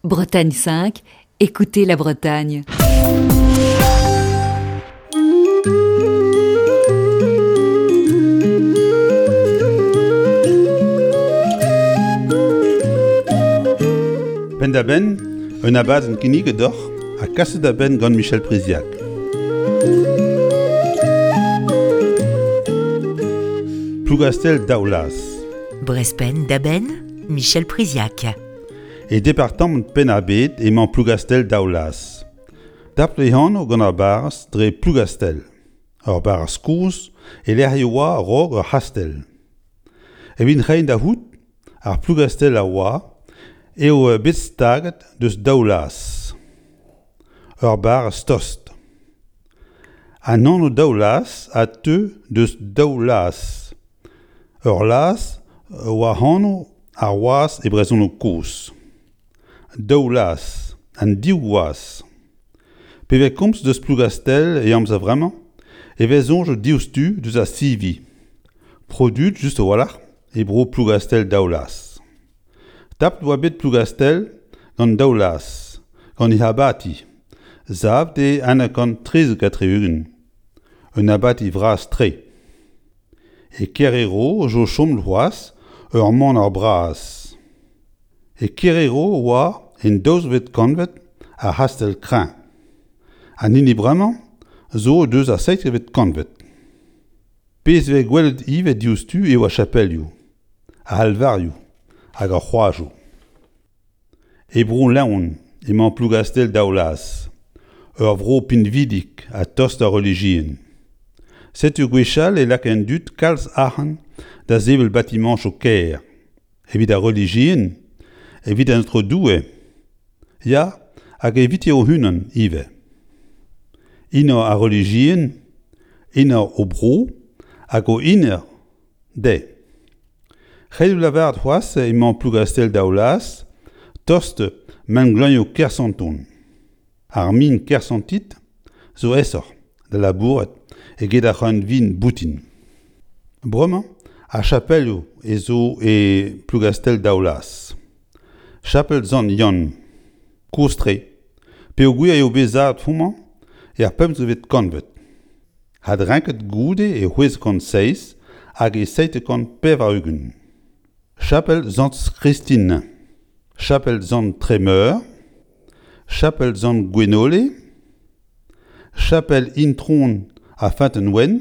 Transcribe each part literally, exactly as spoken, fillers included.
Bretagne cinq, écoutez la Bretagne. Penn-da-benn, un abadenn kinniget deoc'h ha kaset da benn gant Michel Priziac. Plougastell-Daoulaz. Brest Penn-da-Benn, Michel Priziac. E departamant Penn-ar-Bed emañ Plougastell-Daoulaz. Tapet e anv gant ar barrez dre Plougastell. Ur barrez kozh e lec'h e oa a-raok ur c'hastell. Evit reiñ da c'hoût ar Plougastell a oa eo bet staget deus Daoulaz. Ur barrez tost. An anv Daoulaz a teu deus daou laz. Ur laz oa anv ar wazh e brezhoneg kozh. Daou laz, an div wazh. Pe vez komz deus Plougastell e amzer vremañ e vez soñj diouzhtu deus ar sivi. Produet just a-walc'h e bro Plougastell-Daoulaz. Tapet oa bet Plougastell gant Daoulaz, gant he abati, savet e eizh kant trizek ha tri-ugent. Un abati vras-tre. E Kerero zo chom c'hoazh ur maner bras. E Kerero oa en daouzvet kantved ar c'hastell kreñv. An hini bremañ zo deus ar seizhvet kantved. Pezh vez gwelet ivez diouzhtu eo ar chapelioù, ar c'halvarioù hag ar c'hroazioù. E Bro-Leon emañ Plougastell-Daoulaz, ur vro pinvidik ha tost d'ar relijion. Setu gwechall e laka an dud kalz arc'hant da sevel batimañchoù kaer. Evit ar relijion, evit an Aotrou Doue, ya, hag evite o-unan ivez. Enor ar relijion, enor o bro hag o enor dezhe. Ret eo lavaret c'hoazh emañ Plougastell-Daoulaz tost mengleuzioù Kersanton. Ar min kersantit zo aesoc'h da labourat eget ar c'hreunvin boutin. Bremañ, ar chapelioù e zo e Plougastell-Daoulaz. Chapel Sant Yann, kozh-tre, peogwir eo bet savet homañ er pemzekvet kantved. Adrenket goude e c'hwezek kant seizh hag e seitek kant pevar-ugent. Chapel Sant Christine, Chapel Sant Tremeur, Chapel Sant Gwenole, Chapel Intron a Feunteun-Wenn,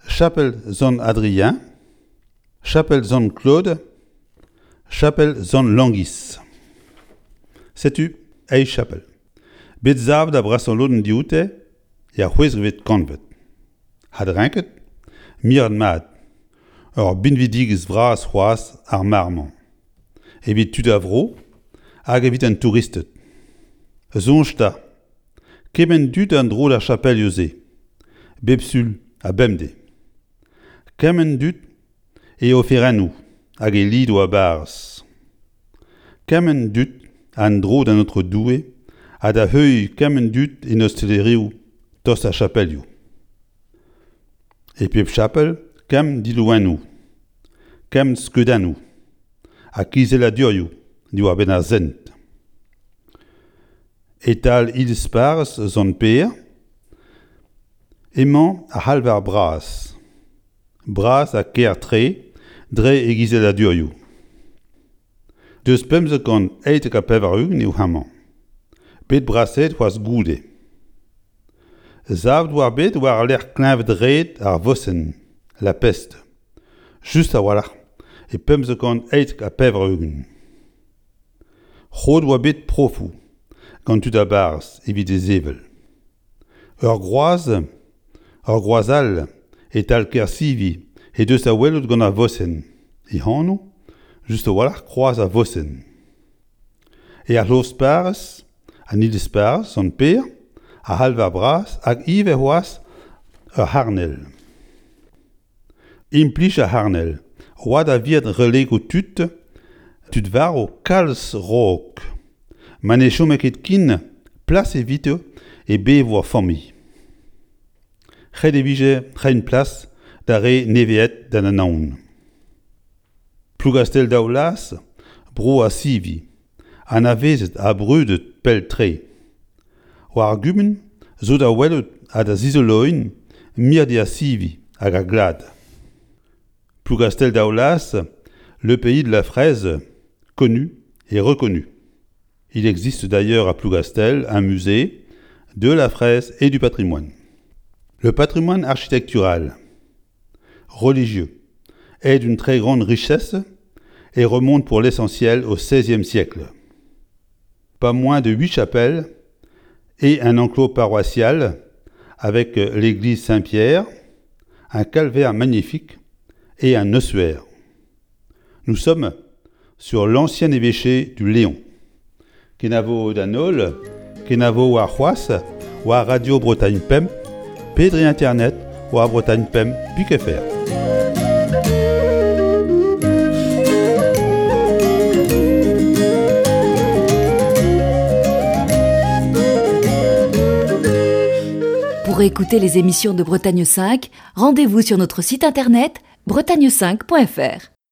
Chapel Sant Adrien, Chapel Sant Claude, Chapel Sant Langis. Setu eizh chapel. Bet savet ar brasañ lodenn dioute er c'hwezekvet kantved. Adrenket, miret mat. Ur binvidigezh vras c'hoazh ar mare-mañ. Evit tud ar vro hag evit an touristed. Soñj 'ta, kement dud an dro d'ar chapelioù-se, bep sul ha bemdez. Kement dud e oferennoù hag e lidoù a-barzh. Kement dud an dro d'an Aotrou Doue ha da heuilh kement dud en ostalerioù tost ar chapelioù. E pep chapel, kement dilouennoù, kement skeudennoù ha kizelladurioù diwar-benn ar sent. E-tal iliz-parrez Sant-Pêr emañ ar c'halvar bras. Bras ha kaer-tre dre e gizelladurioù. Deus pemzek kant eitek ha pevar-ugent eo hemañ. Bet brasaet c'hoazh goude. Savet oa bet war-lerc'h kleñved-red ar vosenn, la peste. Just a-walc'h e pemzek kant eitek ha pevar-ugent. Roet oa bet profoù gant tud a-barzh evit e sevel. Ur groaz, ur groaz all e-tal Kersivi he deus da welout gant ar vosenn. He anv, just a-walc'h kroaz ar vosenn. E ar c'hloz-parrez, an iliz-parrez, Sant-Pêr, ar c'halvar bras hag ivez c'hoazh ur c'harnel. Implij ar c'harnel, oa da viret relegoù tud, tud varv kalz raok. Ma ne chome ket ken plas evito e bevo ar familh. Ret e vije reiñ plas d'ar re neveet d'an anaon. Plougastell-Daoulaz, bro ar sivi, Anavezet ha brudet pell-tre. War ar gumun zo da welout ha da zizoloiñ mirdi ar sivi hag ar glad. Plougastel-Daoulas, le pays de la fraise, connu et reconnu. Il existe d'ailleurs à Plougastel un musée de la fraise et du patrimoine. Le patrimoine architectural, religieux, est d'une très grande richesse et remonte pour l'essentiel au seizième siècle. Pas moins de huit chapelles et un enclos paroissial avec l'église Saint-Pierre, un calvaire magnifique et un ossuaire. Nous sommes sur l'ancien évêché du Léon. Kenavo d'an holl, kenavo war c'hoazh, war Radio Bretagne Pemp, pe dre internet, war Bretagne Pemp pik F R. Pour écouter les émissions de Bretagne cinq, rendez-vous sur notre site internet bretagne cinq point F R.